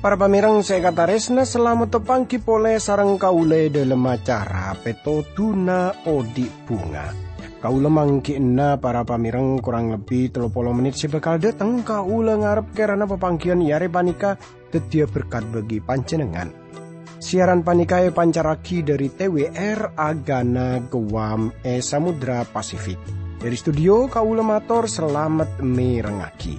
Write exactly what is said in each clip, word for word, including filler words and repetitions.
Para pamèrèng sè èkatarèsna, salamet tapangghi polè sareng kaulâ è dhâlem acara Pètodhuna Odi' Bhunga. Kaulâ mangghi'na para pamèrèng korang lebbi tello polo mennit sè bhâkal dhâteng. Kaulâ ngarep kèrana papangghiyân è arè panèka dhâddhiyâ berkat bagi panjhennengngan. Siaran panèka èpancarraghi dhâri T W R Agana Guam è Samudra Pasifik. Dhâri studio, kaulâ mator salamet mèrengngaghi.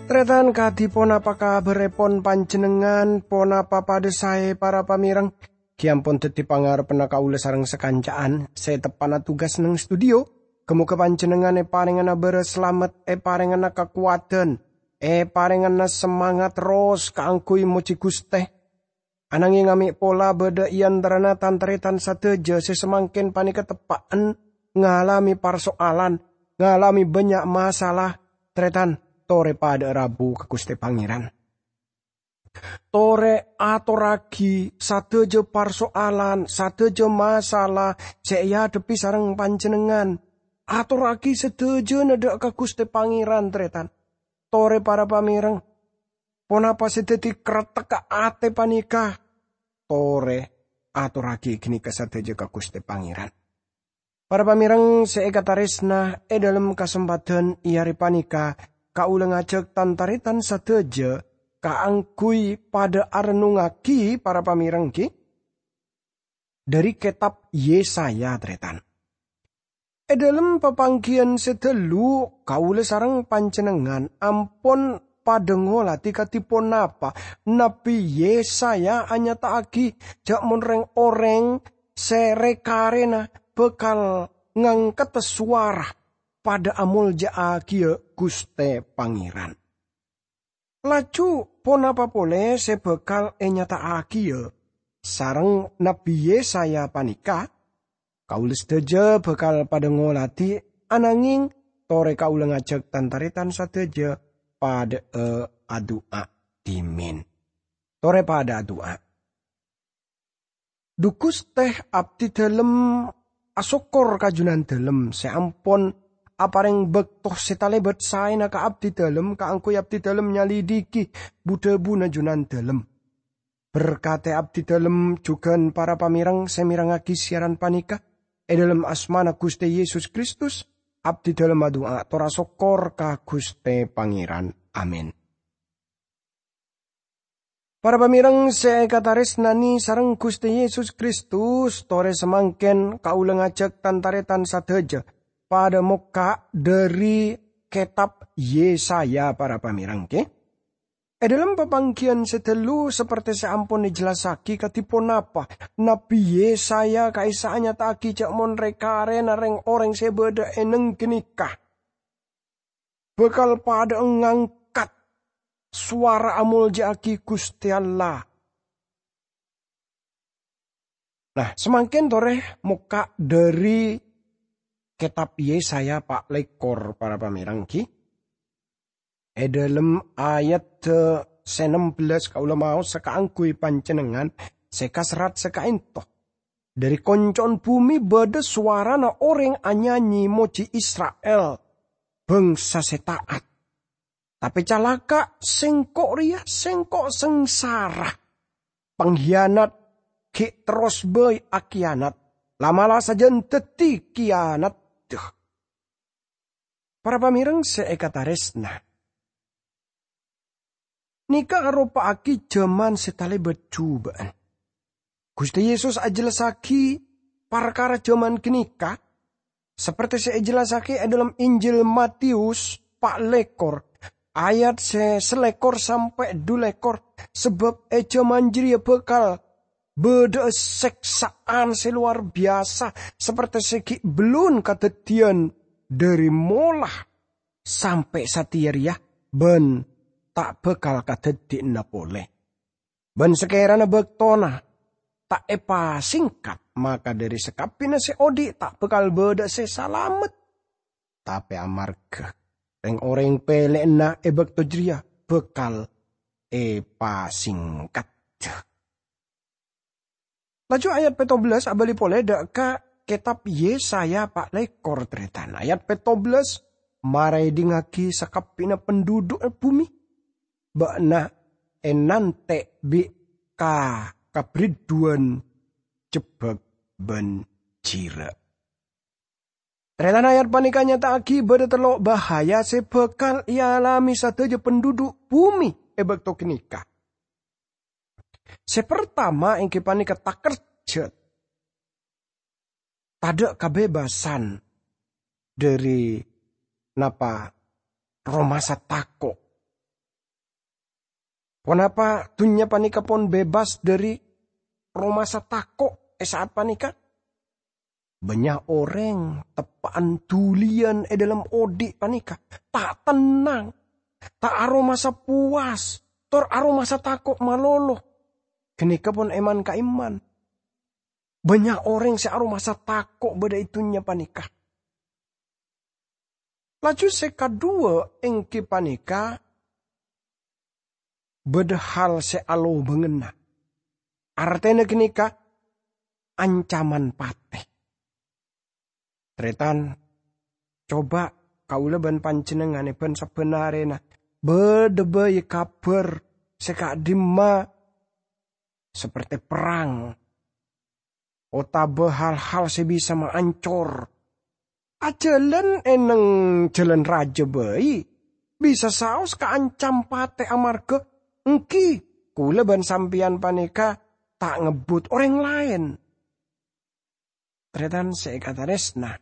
Tarètan, kadhi ponapa kabhârrèpon panjhennengngan? Ponapa padâ saè, para pamèrèng? Ghi' ampon dhâddhi pangarebbhânna kaulâ sareng sakanca'an sè teppa'na tugas neng studio. Ghâ-moghâ panjhennengngan èparèngana bârâs salamet, èparèngana kakowadhân, èparèngana samangat terros kaangghuy mojhi Ghustè. Ananghing amè' pola bâdâ è antarana tan-tarètan sadhâjâ sè samangkèn panèka teppa'en ngalamè parso'alan, ngalamè bânnya' masalah, tarètan, torè padâ'â rabu ka Ghustè Pangèran. Torè atorraghi sadhâjâ parso'alan, sadhâjâ masalah sè èadhebbhi sareng panjhennengngan. Atorraghi sadhâjâna dâ' ka Ghustè Pangèran, tarètan. Torè, para pamèrèng, ponapa sè dhâddhi karettekka atè panèka? Torè atorraghi ghânèka sadhâjâ ka Ghustè Pangèran. Para pamèrèng sè èkatarèsna, è dhâlem kasempadhân è arè panèka, kaulâ ngajhâk tan-tarètan sadhâjâ kaangghuy padâ arennungngaghi, para pamèrèng, ghi, dhâri kètab Yesaya, tarètan. È dhâlem papangghiyân sè ghâllu, kaulâ sareng panjhennengngan ampon padâ ngoladhi kadhi ponapa Nabbhi Yesaya anyata'aghi jhâ' mon rèng-orèng sè rè-karèna bhâkal ngangkada sowara padâ amolja'aghiyâ Ghustè Pangèran. Laju ponapa polè sè bhâkal ènyata'aghiyâ sareng Nabbhi Yesaya panèka? Kaulâ sadhâjâ bhâkal padâ ngoladhi, ananghing torè kaulâ ngajhâk tan-tarètan sadhâjâ padâ'â adu'a dhimèn. Torè padâ adu'a. Dhu Ghustè, abdhidhâlem asokkor ka Jhunandhâlem sè ampon aparèng bâkto sè talèbât saèna ka abdhidhâlem kaangghuy abdhidhâlem nyalidhighi bu-dhâbuna Jhunandhâlem. Berkadhi abdhidhâlem jhughân para pamèrèng sè mèrengngaghi siaran panèka. È dhâlem asmana Ghustè Yesus Kristus, abdhidhâlem adu'a tor asokkor ka Ghustè Pangèran. Amin. Para pamèrèng sè èkatarèsnanè sareng Ghustè Yesus Kristus, torè samangkèn kaulâ ngajhâk tan-tarètan sadhâjâ padâ mokka' dhâri kètab Yesaya, para pamèrèng, ghi. È dhâlem papangghiyân sè ghâllu, sapertè sè ampon èjellassaghi kadhi ponapa, Nabbhi Yesaya ka'issa' anyata'aghi jhâ' mon rè-karèna rèng-orèng sè bâdâ è neng ghânèka bhâkal padâ'â ngangkat sowara amolja'aghi Ghustè Allah. Nah, samangkèn torè mokka' dhâri kètab Yesaya pa' lèkor, para pamèrèng, ghi. È dhâlem ayat sè nem bellâs kaulâ maosa kaangghuy panjhennengngan sè kaserrat sè ka'ènto. Dhâri konco'en bhumè bâdâ sowarana orèng anyanyè mojhi Isra'il, bhângsa sè ta'at. Tapè calaka', sèngko' rèya, sèngko' sangsara. Panghiyanat ghi' terros bhâi akiyanat, la'-mala' sajân dhâddhi kiyanat. Dhu. Para pamèrèng sè èkatarèsna, nèka aropa'aghi jhâman sè talèbât jhubâ'ân. Ghustè Yesus ajellassaghi parkara jhâman ghânèka, sapertè sè èjellassaghi è dhâlem Injil Matius pa' lèkor, ayat sè salèkor sampè' dhu lèkor, sabâb è jhâman jârèya bhâkal bâdâ'â sèksa'an sè lowar biyasa, sapertè sè ghi' bellun kadhâddhiyân dhâri mola sampè' satèya rèya, bân ta' bhâkal kadhâddhiyâna polè. Bân sakèrana bâktona ta' èpasèngkat, maka dhâri sakabbhiyânna sè odi' ta' bhâkal bâdâ sè salamet. Tapè amarghâ rèng-orèng pèlè'na è bâkto jârèya bhâkal èpasèngkaddhâ. Laju ayat pètto bellâs abâli polè dâ' ka kètab Yesaya pa' lèkor, tarètan. Ayat pètto bellâs, "Mara èdingngaghi sakabbhiyânna pandhudhu'na bhumè, bâ'na ènantè' bi' ka-, kabhârâddhuwân jebbhâk bân jhirâ'." Tarètan, ayat panèka nyata'aghi bâdâ tello' bahaya sè bhâkal èalamè sadhâjâ pandhudhu' bhumè è bâkto ghânèka. Sè partama èngghi panèka takerjhât, tadâ' kabebasân dhâri napa, aromasa tako'. Ponapa dhunnya panèka pon bebas dhâri aromasa tako' è sa'at panèka? Bânnya' orèng teppa'an dhuliyân è dhâlem odi' panèka, ta' tennang, ta' aromasa powas, tor aromasa tako' malolo. Ghânèka pon èman-kaèman. Bânnya' orèng sè aromasa tako' bâdâ è dhunnya panèka. Laju sè kaduwâ' èngghi panèka bâdâ hal sè alobânganna. Artèna ghânèka ancaman patè. Tarètan, coba kaulâ bân panjhennengngan è bân-sabbhân arèna bâdâ bhâi kabhâr sè ka'dimma saperte perrang, otabâ hal-hal sè bisa maancor. Ajhâlân è neng jhâlân rajâ bhâi bisa saos kaancam patè amarghâ èngghi kaulâ bân sampèyan panèka ta' ngebbhut orèng laèn. Tarètan sè èkatarèsna,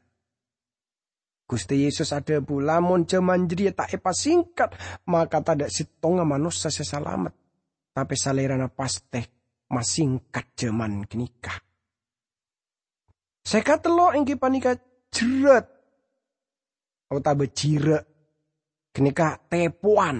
Ghustè Yesus adhâbu, "Lamon jhâman jârèya ta' èpasèngkat, maka tadâ' sèttonga manossa sè salamet. Tapè Salèrana pastè masèngkat jhâman ghânèka." Sè katello' èngghi panèka jherrât otabâ jhirâ', ghânèka tèpowan.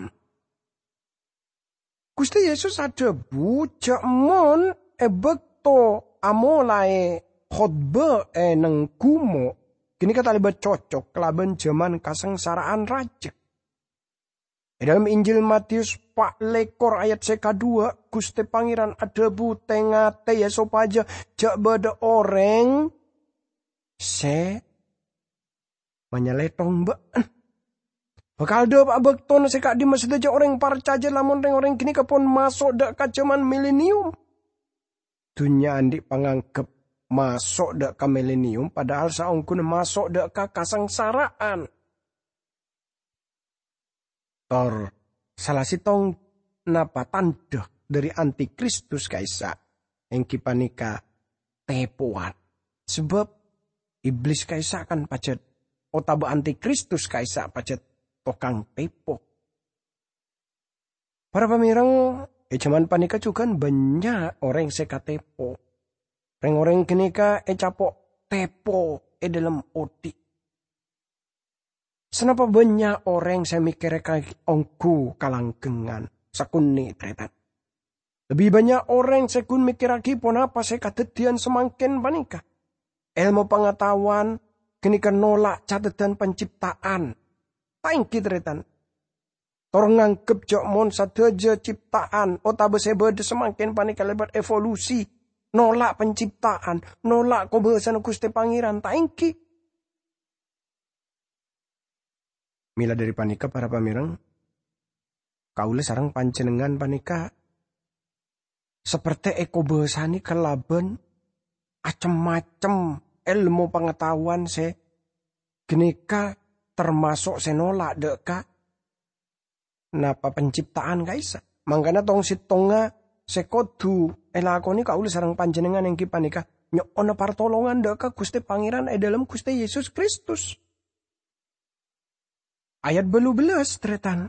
Ghustè Yesus adhâbu jhâ' mon è bâkto amolaè khotbah è neng ghumo', ghânèka talèbât cocok kalabân jhâman kasangsara'an rajâ. È dhâlem Injil Matius pa' lèkor ayat sè kaduwâ', Ghustè Pangèran adhâbu, "Tè-ngatè, ya, sopajâ jhâ' bâdâ orèng sè manyalèthong bâ'na." Bhâkal dâpa'a bâktona sè ka'dimma sadhâjâ orèng parcajâ lamon rèng-orèng ghânèka pon maso' dâ' ka jhâman milenium. Dhunnya andi' pangangghep maso' dâ' ka milenium, padahal saongghuna maso' dâ' ka kasangsara'an. Tor sala sèttong napa tandhâ dhâri antikristus ka'issa' èngghi panèka tèpowan. Sabâb Iblis ka'issa' kan pajhât, otabâ antikristus ka'issa' pajhât tokang tèpo. Para pamèreng, è jhâman panèka jhughân bânnya' orèng sè katèpo. Rèng-orèng ghânèka ècapo' tèpo è dhâlem odi'. Sanapa bânnya' orèng sè mèkkèrè ka ongghu kalanggengngan sakonè', tarètan. Lebbi bânnya' orèng sè ghun mèkkèraghi ponapa sè kadhâddhiyân samangkèn panèka. Èlmo pangataowan ghânèka nola' cateddhân pancipta'an. Ta' èngghi, tarètan. Tor nganggep jhâ' mon sadhâjâ cipta'an otabâ sè bâdâ samangkèn panèka lèbât evolusi, nola' pancipta'an, nola' kobâsana Ghustè Pangèran. Ta' èngghi. Mèla dhâri panèka, para pamèreng, kaulâ sareng panjhennengngan panèka saperte èkobâsanè kalabân acem-macem èlmo pangataowan sè ghânèka tamaso' sè nola' dâ' ka napa pancipta'an ka'issa'. Mangkana tong-sèttongnga sè kodhu èlakonè kaulâ sareng panjhennengngan èngghi panèka nyo'ona partolongan dâ' ka Ghustè Pangèran è dhâlem Ghustè Yesus Kristus. Ayat bâllu bellâs, tarètan.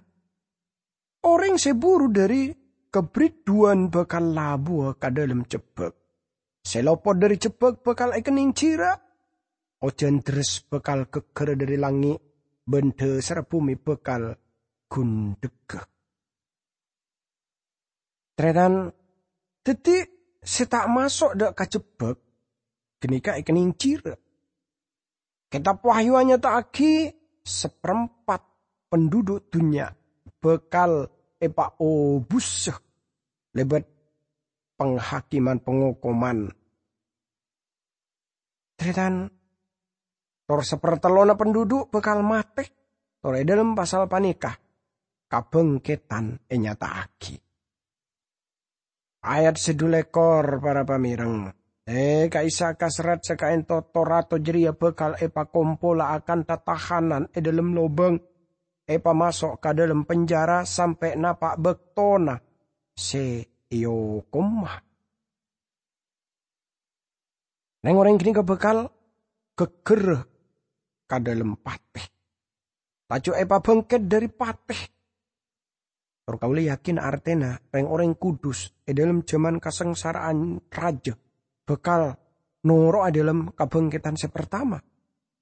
Orèng sè buru dhâri kabhârâddhuwân bhâkal labuwâ ka dhâlem jebbhâk. Sè lopot dhâri jebbhâk bhâkal èkennèng jhirâ'. Ojhân dherres bhâkal ghâgghârâ dhâri langngè', bân dhâsarra bhumè bhâkal ghundhegghâ. Tarètan, dhâddhi sè ta' maso' dâ' ka jebbhâk ghânèka èkennèng jhirâ'. Kètab Wahyu anyata'aghi saparempat penduduk dhunnya bhâkal èpaobussa lèbât panghakèman pangokoman. Tarètan, tor sapartellonna penduduk bhâkal matè, tor è dhâlem pasal panèka kabhângkèdhân ènyata'aghi. Ayat sè dhu lèkor, para pamèreng. È ka'issa' kaserrat sè ka'ènto to-rato jârèya bhâkal èpakompola akanta tahanan è dhâlem lobâng, èpamaso' ka dhâlem penjara sampè' napa' bâktona sè èokomma. Rèng-orèng ghânèka bhâkal ghâgghârrâ ka dhâlem patè, laju èpabhângkèt dhâri patè. Tor kaulâ yakin artèna rèng-orèng kudus è dhâlem jhâman kasangsara'an rajâ bhâkal noro'a dhâlem kabhângkèdhân sè partama.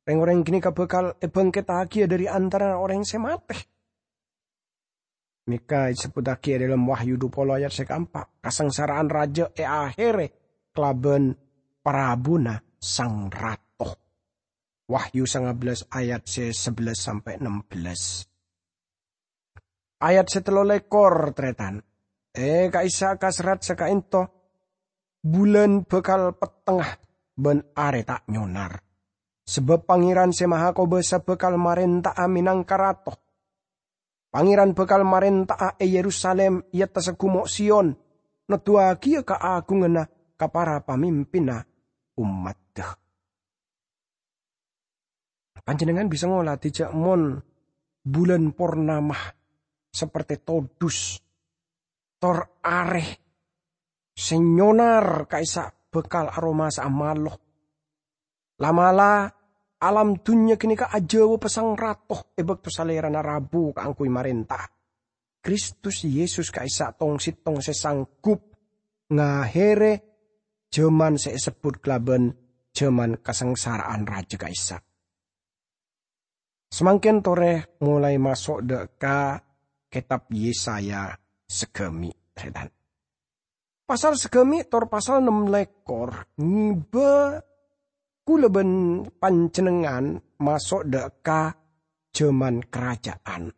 Rèng-orèng ghânèka bhâkal èbhângkèttaghi dhâri antarana orèng sè matè. Mèka èsebbhuttaghi è dhâlem Wahyu dhu polo ayat sè kaempa', kasangsara'an rajâ èahèrè kalabân parabuna sang rato. Wahyu sangabellâs ayat sè sabellâs sampè' ennem bellâs. Ayat sè tello lèkor, tarètan. È ka'issa' kaserrat sè ka'ènto, bulân bhâkal pettengnga bân arè ta' nyonar. Sabâb Pangèran Sè Mahakobâsa bhâkal marènta'a mènangka Rato. Pangèran bhâkal marènta'a è Yerusalim, è attassa gumo' Sion, noduwaghiyâ kaagunganna ka para pamimpinna ommaddhâ. Panjhennengngan bisa ngolatè jhâ' mon bulân pornama saperte todus, tor arè sè nyonar ka'issa' bhâkal aromasa'a malo. La'-mala' alam dhunnya ghânèka ajâwâ pasang rato è bâkto Salèrana rabu kaangghuy marènta. Kristus Yesus ka'issa' tong-settong sè sanggup ngahèrè jhâman sè èsebbhut kalabân jhâman kasangsara'an rajâ ka'issa'. Samangkèn torè molaè maso' dâ' ka kètab Yesaya saghâmè', tarètan. Pasal saghâmè' tor pasal ennem lèkor ngibâ kaulâ bân panjhennengngan maso' dâ' ka jhâman karajâ'ân.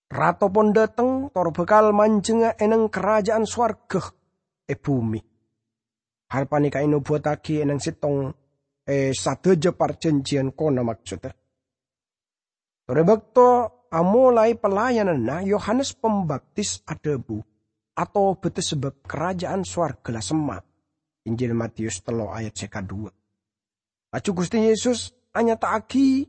Rato pon dâteng, tor bhâkal manjhengnga è neng karajâ'ân sowarghâ è bhumè. Hal panèka ènobuwattaghi è neng settong è sadhâjâ parjhânjhiyân Kona, maksodda. Tor è bâkto amolaè pelayananna, Yohanes Pambaptis adhâbu, "Atobâdhâ sabâb karajâ'ân sowarghâ la semma'." Injil Matius tello ayat sè kadhuwâ. Laju Ghustè Yesus anyata'aghi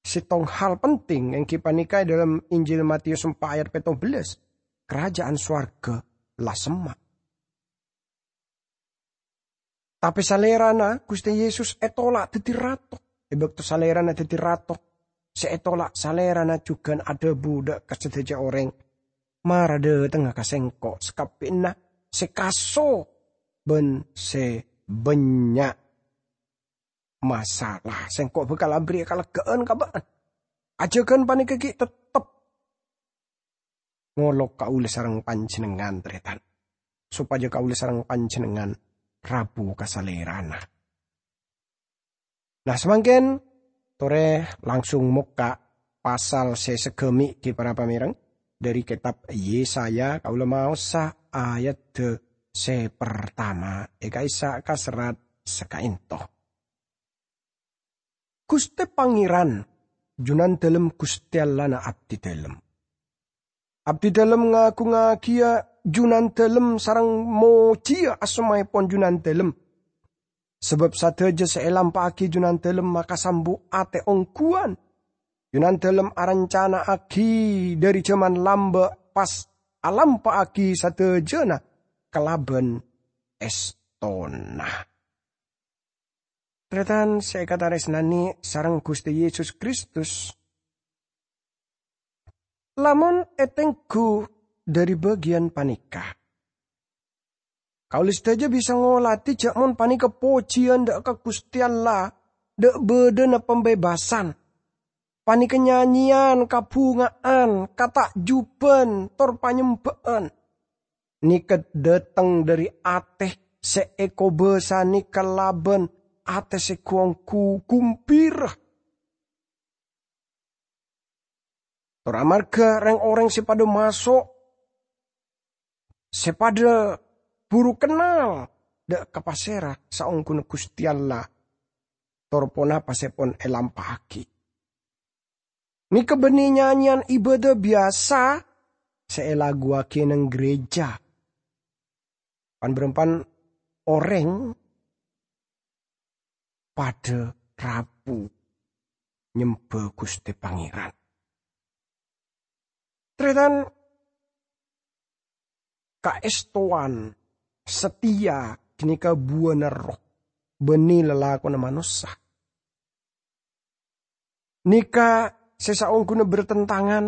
settong hal penting, èngghi panèka è dhâlem Injil Matius empa' ayat pètto bellâs, "Karajâ'ân sowarghâ la semma'." Tapè Salèrana, Ghustè Yesus, ètola' dhâddhi Rato. È bâkto Salèrana dhâddhi Rato, sè ètola' Salèrana jhughân adhâbu dâ' ka sadhâjâ orèng, "Mara dâtengnga ka Sèngko' sakabbhiyanna sè kaso bân sè bânnya' masala. Sèngko' bhâkal aberri'â kaleggâ'ân ka bâ'na. Ajâgân panèka ghi' tettep ngolok kaulâ sareng panjhennengngan, tarètan, sopajâ kaulâ sareng panjhennengngan rabu ka Salèrana." Nah, samangkèn torè langsung mokka' pasal sè saghâmè' ghi para pamèreng, dhâri kètab Yesaya, kaulâ maosa ayadda sè partama è ka'issa' kaserrat sakaènto. "Ghustè Pangèran, Jhunandhâlem Ghustè Allahna abdidhâlem. Abdidhâlem ngaghungngagiyâ Jhunandhâlem sareng mojiyâ asmaèpon Jhunandhâlem. Sabâb sadhâjâ sè èlampa'aghi Jhunandhâlem makasambu atè ongghuwân. Jhunandhâlem arancana'aghi dhâri jhâman lambâ' pas alampa'aghi sadhâjâna kalabân èstona." Tarètan sè èkatarèsnanè sareng Ghustè Yesus Kristus, lamon ètengghu dhâri bâgiyân panèka, kaulâ sadhâjâ bisa ngolatè jhâ' mon panèka pojiyân dâ' ka Ghustè Allah, dâ' bâdâna pambebbasan. Panèka nyanyèyan kabhunga'an, kata'juban, tor panyembhâ'ân. Nèka dhâteng dhâri atè sè èkobâsanè kalabân atè sè ghu-ongghu ghumbira. Tor amarghâ rèng-orèng sè padâ maso', sè padâ buru kennal dhâ' ka pasèra saongghuna Ghustè Allah, tor ponapa sè pon èlampa'aghi. Nèka bânnè nyanyèyan ibâdâ biyasa sè èlaguwaghi neng gereja. Pan-bârâmpan orèng padâ rabu nyembhâ Ghustè Pangèran. Tarètan, kaèstowan, sateya ghânèka buwâna Erroh, bânnè lalakonna manossa. Nèka sè saongghuna bertentangan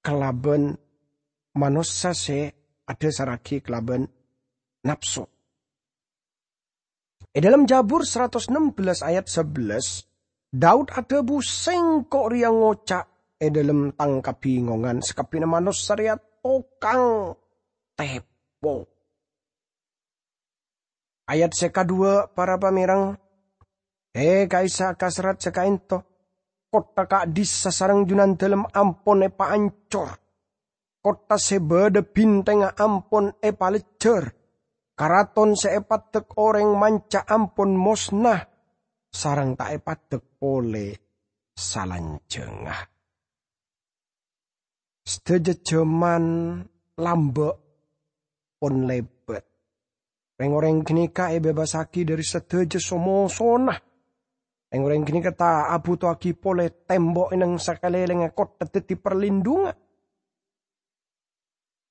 kalabân manossa sè adhâsarraghi kalabân napso. È dhâlem Jabur saratos ennem bellâs ayat sabellâs, Daud adhâbu, "Sèngko' rèya ngoca' è dhâlem tang kabingongan, sakabbhiyânna manossa rèya tokang tèpo." Ayat sè kaduwâ', para pamèreng, è ka'issa' ka serrat sè kaènto, kottha ka'dhissa' sareng junandâlem ampon èpaancor. Kottha sè bâdâ bhintèngnga ampon èpalejjhâr. Karaton sè èpaddhek orèng manca ampon mosna, sareng ta' èpaddhek polè salanjhângnga. Sadhâjâ jhâman lambâ' pon lèbât. Rèng-orèng ghânèka èbebasaghi dhâri sadhâjâ so-mosona. Rèng-orèng ghânèka ta' abhutoaghi polè tèmbo' è neng sakalèlèngnga kottha dhâddhi parlindhungan.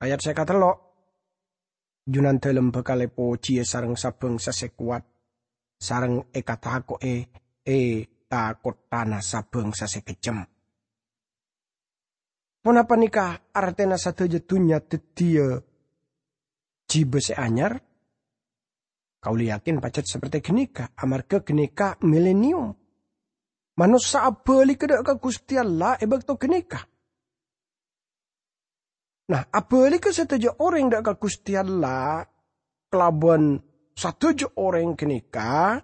Ayat sè katello', "Junandâlem bhâkal èpojiyâ sareng sabhângsa sè kowat, sareng èkatako'è è tha-kothana sabhângsa sè kejjhem." Ponapa nèka artèna sadhâjâ dhunnya dhâddhiyâ jhibâ sè anyar? Kaulâ yakin pajhât saperti ghânèka, amarghâ ghânèka milenium. Manossa abhâligghâ dhâ' ka Ghustè Allah è bâkto ghânèka. Nah, abhâligghâ sadhâjâ orèng dhâ' ka Ghustè Allah kalabân sadhâjâ orèng ghânèka,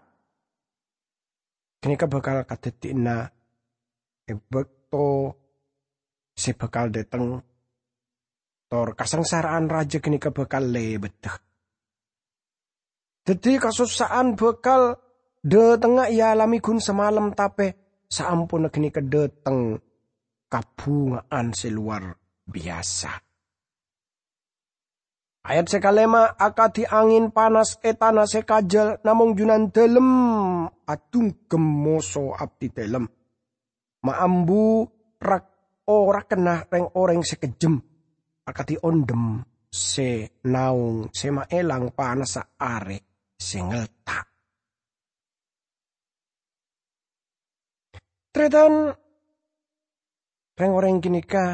ghânèka bhâkal kadhâddhiyânna è bâkto sè bhâkal dhâteng, tor kasangsara'an rajâ ghânèka bhâkal lèbâddhâ. Dhâddhi, kasossa'an bhâkal dhâtengnga èalamè ghun samalem, tapè saamponna ghânèka dhâteng kabhunga'an sè lowar biyasa. Ayat sè kalèma', akadhi angèn panas è tana sè kajâl, namong Junandâlem adhungghem moso abdhidâlem. Maambu rak-orakenna rèng-orèng sè kejjhem, akadhi ondhem sè naong sè maèlang panassa arè sè ngelta'. Tarètan, rèng-orèng ghânèka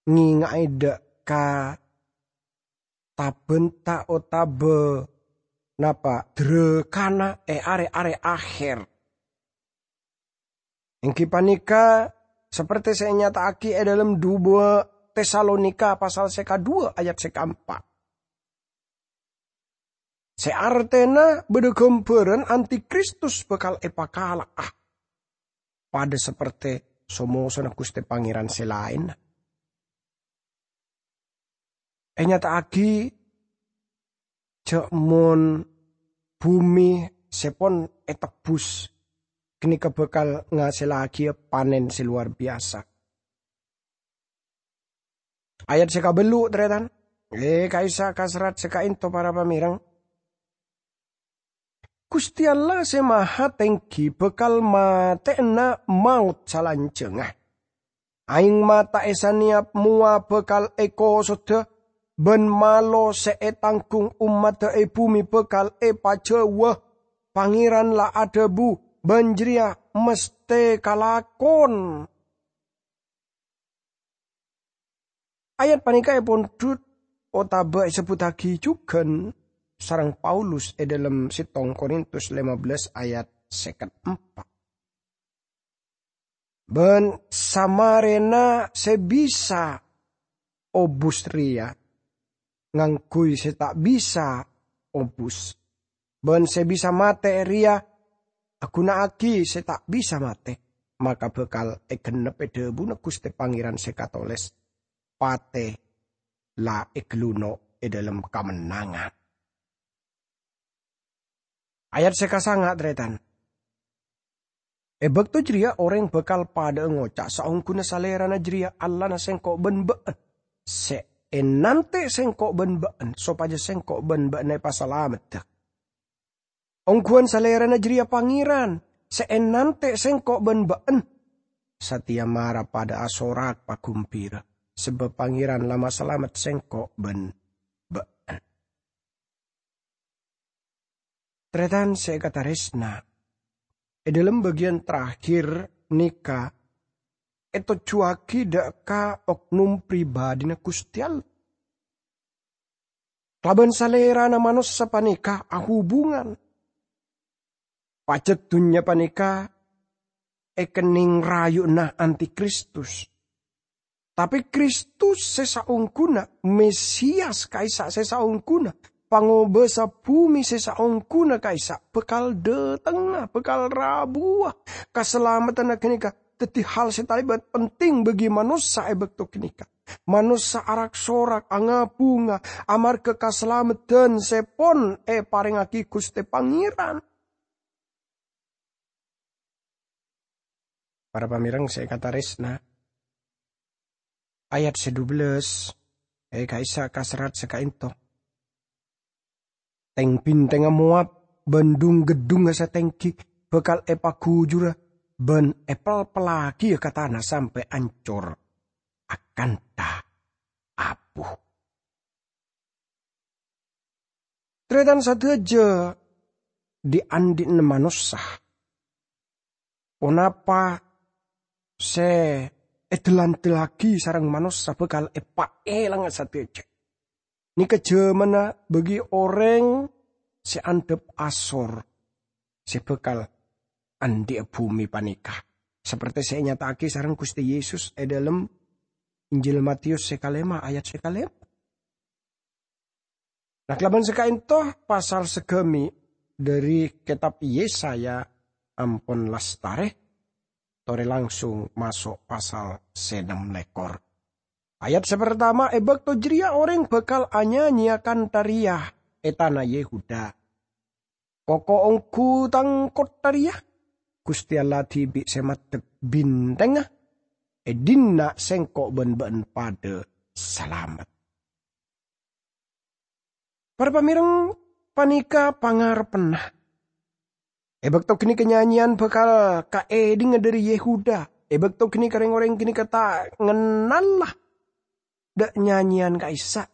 ngènga'è dhâ' ka tabânta otabâ napa, dhârâkana è arè-arè akhèr. Èngghi panèka saperti sè ènyata'aghi è dhâlem duwâ' Tesalonika pasal sè kaduwâ' ayat sè kaempa'. Sè artèna bâdâ ghâmbhârân antikristus bhâkal èpakala'a, padâ saperti so-mosona Ghustè Pangèran sè laènna. Ènyata'aghi jhâ' mon bhumè sè pon ètebbhus ghânèka bhâkal ngasèllaghiyâ panèn sè lowar biyasa. Ayat sè kabellu', tarètan. È, ka'issa' ka serrat sè kaènto, para pamèreng. Ghustè Allah Sè Mahatèngghi bhâkal matè'ana maot salanjhângnga. Aèng mata è sanèyap mowa bhâkal èkosodhâ, bân malo sè ètangghung ommadhâ è bhumè bhâkal èpajhâuwâ. Pangèran la adhâbu, bân jârèya mastè kalakon. Ayat panèka èpondhut otabâ èsebbhuttaghi jhughân sareng Paulus è dhâlem settong Korintus lèma bellâs ayat sèket empa'. Bân samarèna sè bisa obus rèya ngangghuy sè ta' bisa obus, bân sè bisa matè rèya aghuna'aghi sè ta' bisa matè, maka bhâkal èghennep è dhâbuna Ghustè Pangèran sè katolès, "Patè la èghelluno' è dhâlem kamennangan." Ayat sè kasanga', tarètan. È bâkto jârèya orèng bhâkal padhâ'â ngoca', "Saongghuna Salèrana jârèya Allahna sèngko' bân bâ'na, sè ènantè' sèngko' bân bâ'na, sopajâ sèngko' bân bâ'na èpasalamedda." Ongghuwân Salèrana jârèya Pangèran, sè ènantè' sèngko' bân bâ'na. Satèya mara padhâ asorak paghâmbhira, sabâb Pangèran la masalamet sèngko' bân bâ'na. Tarètan sè èkatarèsna, è dhâlem bâgiyân terakhir nèka ètojjhuwâghi dhâ' ka oknum pribadhina Ghustè Allah. Kalabân Salèrana manossa panèka ahubungan. Pajhât dhunnya panèka èkennèng rayu'na antikristus. Tapè Kristus sè saongghuna, Mesias ka'issa' sè saongghuna, Pangobâsa bhumè sè saongghuna ka'issa' bhâkal dhâtengnga, bhâkal rabuwâ. Kasalameddhânna ghânèka dhâddhi hal sè talèbât penting bagi manossa è bâkto ghânèka. Manossa arak-sorak, anga-bunga, amarghâ kasalameddhân sè pon èparèngaghi Ghustè Pangèran. Para pamèreng sè èkatarèsna, ayat sè dubellâs, è ka'issa' ka serrat sè ka'ènto. Tèng-bhintèngnga Moab bân dhung-geddhungnga sè tèngghi bhâkal èpaghujurâ bân èpèlpèllaghiyâ ka tana sampè' ancor akantha abu. Tarètan sadhâjâ dhi'-andhi'na manossa. Ponapa sè èdhâl-andhâllaghi sareng manossa bhâkal èpaèlanga sadhâjâ. Nèka jhâmanna bagi orèng sè andhâp asor sè bhâkal andhi'â bhumè panèka, saperte sè ènyata'aghi sareng Ghustè Yesus è dhâlem Injil Matius sè kalèma ayat sè kalèma. Nah, kalabân sè ka'ènto, pasal sagâmè' dhâri kètab Yesaya ampon lastarè, torè langsung maso' pasal sè nem lèkor. Ayat sè partama, "È bâkto jârèya orèng bhâkal anyanyèya kantha rèya è tana Yehuda, 'Koko ongghu tang kottha rèya, Ghustè Allah dhibi' sè maddhek bhintèngnga, è dinna' sèngko' bân bâ'na padhâ salamet.'" Para pamèreng, panèka pangarebbhânna. È bâkto ghânèka nyanyèyan bhâkal kaèdhingnga dhâri Yehuda. È bâkto ghânèka rèng-orèng ghânèka ta' ngennalla dhâ' nyanyèyan ka'issa'.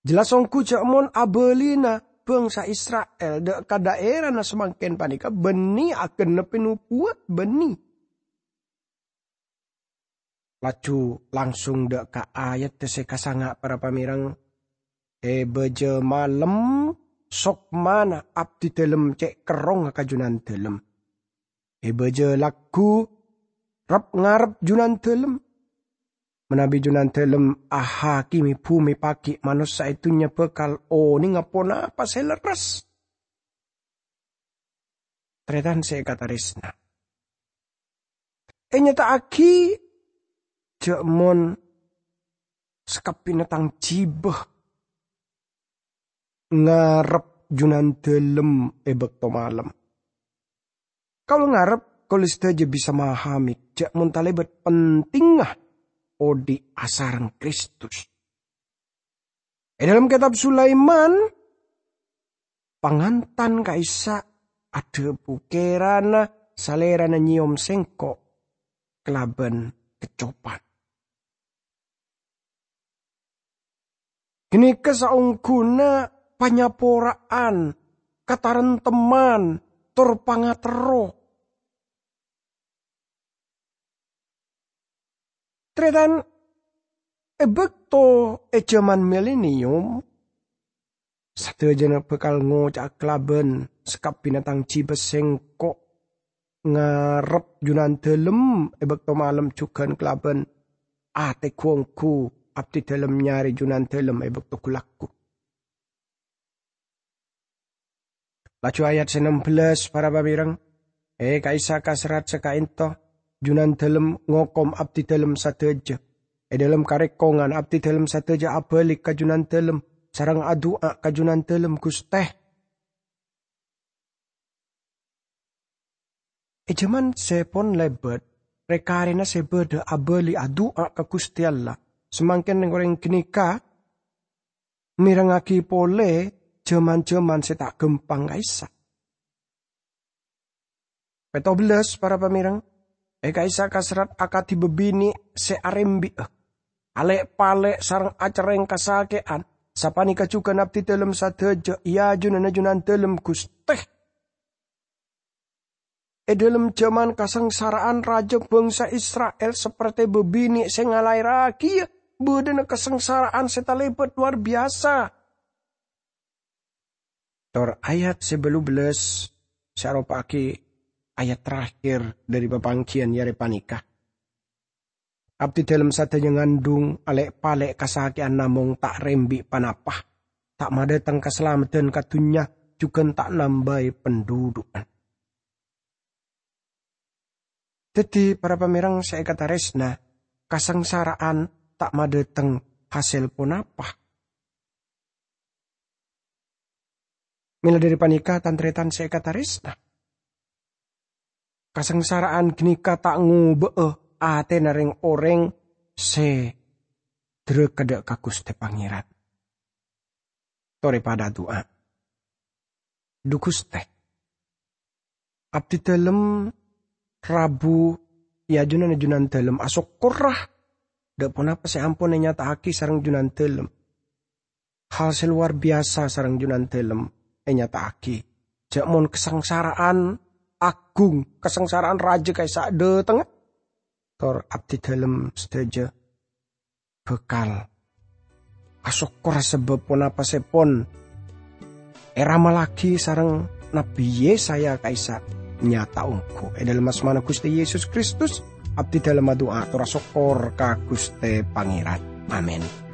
Jelas ongghu jâ' mon abâlina bhângsa Isra'il dhâ' ka dhaèrana samangkèn panèka bânnè aghânebbhi nobuwat bânnè. Laju langsung dhâ' ka ayat sè kasanga', para pamèreng. È bâjâ malem, sokmana abdhi dhâlem cè' kerrongnga ka Junandhâlem. È bâjâ lagghu, rep-ngarep Junandhâlem. Manabi Junandhâlem ahakimè bhumè pagghi', manossa è dhunnya bhâkal onènga ponapa sè lerres. Tarètan sè èkatarèsna. Ènyata'aghi jâ' mon sakabbhiyânna tang jhibâ ngarep Junandhâlem è bâkto malem. Kaulâ ngarep kaulâ sadhâjâ bisa mahamè jâ' mon talèbât pentingnga odi' asareng Kristus. È dhâlem Kètab Sulaiman, pangantan ka'issa' adhâbu, "Kèrana Salèrana nyèyom sèngko' kalabân kecopan." Ghânèka saongghuna panyapora'an, katarentemman, tor pangaterro. Tarètan, è bâkto è jhâman milenium, sadhâjâna bhâkal ngoca'a kalabân sakabbhiyânna tang jhibâ sèngko'. ngarep Junandalem è bâkto malem jhughân kalabân atè ghu-ongghu abdidalem nyarè Junandalem è bâkto ghu-lagghu. Laju ayat sè nem bellâs, para pamèrèng, è ka'issa' kaserrat sè ka'ènto, Junandalem ngokom abdidalem sadhâjâ. È dhâlem karèkongan abdidalem sadhâjâ abâli ka Junandalem sareng adu'a ka Junandalem, "Ghustè." È jhâman sè pon lèbât, rè-karèna sè bâdâ abâli adu'a ka Ghustè Allah. Samangkèn rèng-orèng ghânèka mèrengngaghi polè jhâman-jhâman sè ta' ghâmpang ka'issa'. Pètto bellâs, para pamèrèng, è ka'issa' kaserrat akadhi bâbinè' sè arembi'â, alè'-palè' sareng acerrèng kasakè'an, sapanèka jhughân abdidalem sadhâjâ è ajunanna Junandalem, Ghustè. È dhâlem jhâman kasangsara'an rajâ bhângsa Isra'il saperte bâbinè' sè ngalaèrraghiyâ, bâdâna kasangsara'an sè talèbât lowar biyasa. Tor ayat sè bâllu bellâs sè aropa'aghi ayat terakhir dhâri papangghiyân arè panèka. Abdidalem sadhâjâ ngandhung alè'-palè' kasakè'an namong ta' rembi' ponapa, ta' madhâteng kasalameddhân ka dhunnya, jhughân ta' nambâi pandhudhu'an. Dhâddhi, para pamèrèng sè èkatarèsna, kasangsara'an ta' madhâteng hasèl ponapa. Mèla dhâri panèka, tan-tarètan sè èkatarèsna, kasangsara'an ghânèka ta' ngobâ'â atèna rèng-orèng sè dhârâkadhâ ka Ghustè Pangèran. Torè padâ adu'a. Dhu Ghustè, abdidalem rabu è ajunanna Junandalem asokkorra dhâ' ponapa sè ampon ènyata'aghi sareng Junandalem. Hal sè lowar biyasa sareng Junandalem ènyata'aghi. Jhâ' mon kasangsara'an aghung, kasangsara'an rajâ ka'issa' dhâtengnga, tor abdidalem sadhâjâ bhâkal asokkor sabâb ponapa sè pon èramallaghi sareng Nabbhi Yesaya ka'issa' nyata ongghu. È dhâlem asmana Ghustè Yesus Kristus, abdidalem adu'a tor asokkor ka Ghustè Pangèran. Amin.